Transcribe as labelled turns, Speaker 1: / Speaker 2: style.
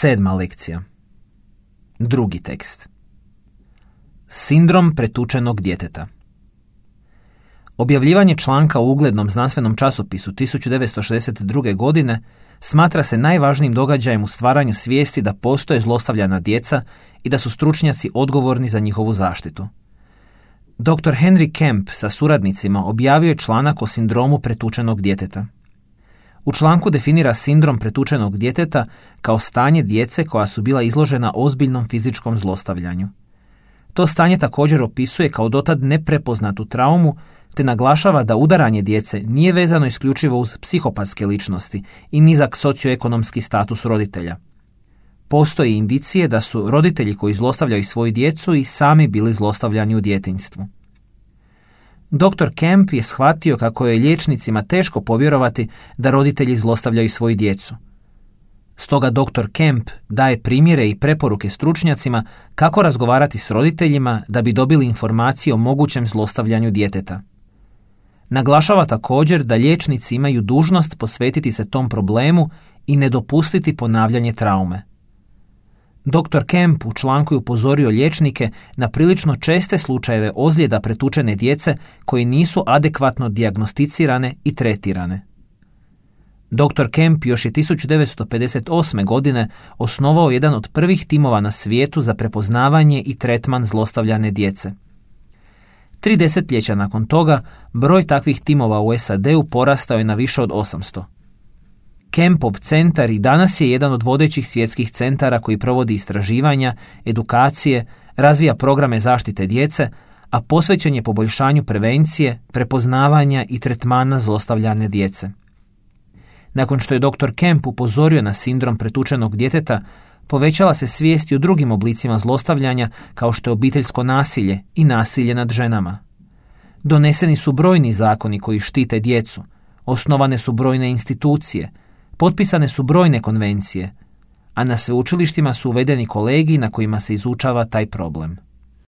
Speaker 1: 7. lekcija. Drugi tekst. Sindrom pretučenog djeteta. Objavljivanje članka u uglednom znanstvenom časopisu 1962. godine smatra se najvažnijim događajem u stvaranju svijesti da postoje zlostavljana djeca i da su stručnjaci odgovorni za njihovu zaštitu. Dr. Henry Kemp sa suradnicima objavio je članak o sindromu pretučenog djeteta. U članku definira sindrom pretučenog djeteta kao stanje djece koja su bila izložena ozbiljnom fizičkom zlostavljanju. To stanje također opisuje kao dotad neprepoznatu traumu, te naglašava da udaranje djece nije vezano isključivo uz psihopatske ličnosti i nizak socioekonomski status roditelja. Postoje indicije da su roditelji koji zlostavljaju svoju djecu i sami bili zlostavljani u djetinjstvu. Dr. Kemp je shvatio kako je liječnicima teško povjerovati da roditelji zlostavljaju svoju djecu. Stoga dr. Kemp daje primjere i preporuke stručnjacima kako razgovarati s roditeljima da bi dobili informacije o mogućem zlostavljanju djeteta. Naglašava također da liječnici imaju dužnost posvetiti se tom problemu i ne dopustiti ponavljanje traume. Dr. Kemp u članku je upozorio liječnike na prilično česte slučajeve ozljeda pretučene djece koji nisu adekvatno dijagnosticirane i tretirane. Dr. Kemp još je 1958. godine osnovao jedan od prvih timova na svijetu za prepoznavanje i tretman zlostavljane djece. 3 desetljeća nakon toga, broj takvih timova u SAD-u porastao je na više od 800. Kempov centar i danas je jedan od vodećih svjetskih centara koji provodi istraživanja, edukacije, razvija programe zaštite djece, a posvećen je poboljšanju prevencije, prepoznavanja i tretmana zlostavljane djece. Nakon što je dr. Kemp upozorio na sindrom pretučenog djeteta, povećala se svijest i o drugim oblicima zlostavljanja kao što je obiteljsko nasilje i nasilje nad ženama. Doneseni su brojni zakoni koji štite djecu, osnovane su brojne institucije, potpisane su brojne konvencije, a na sveučilištima su uvedeni kolegiji na kojima se izučava taj problem.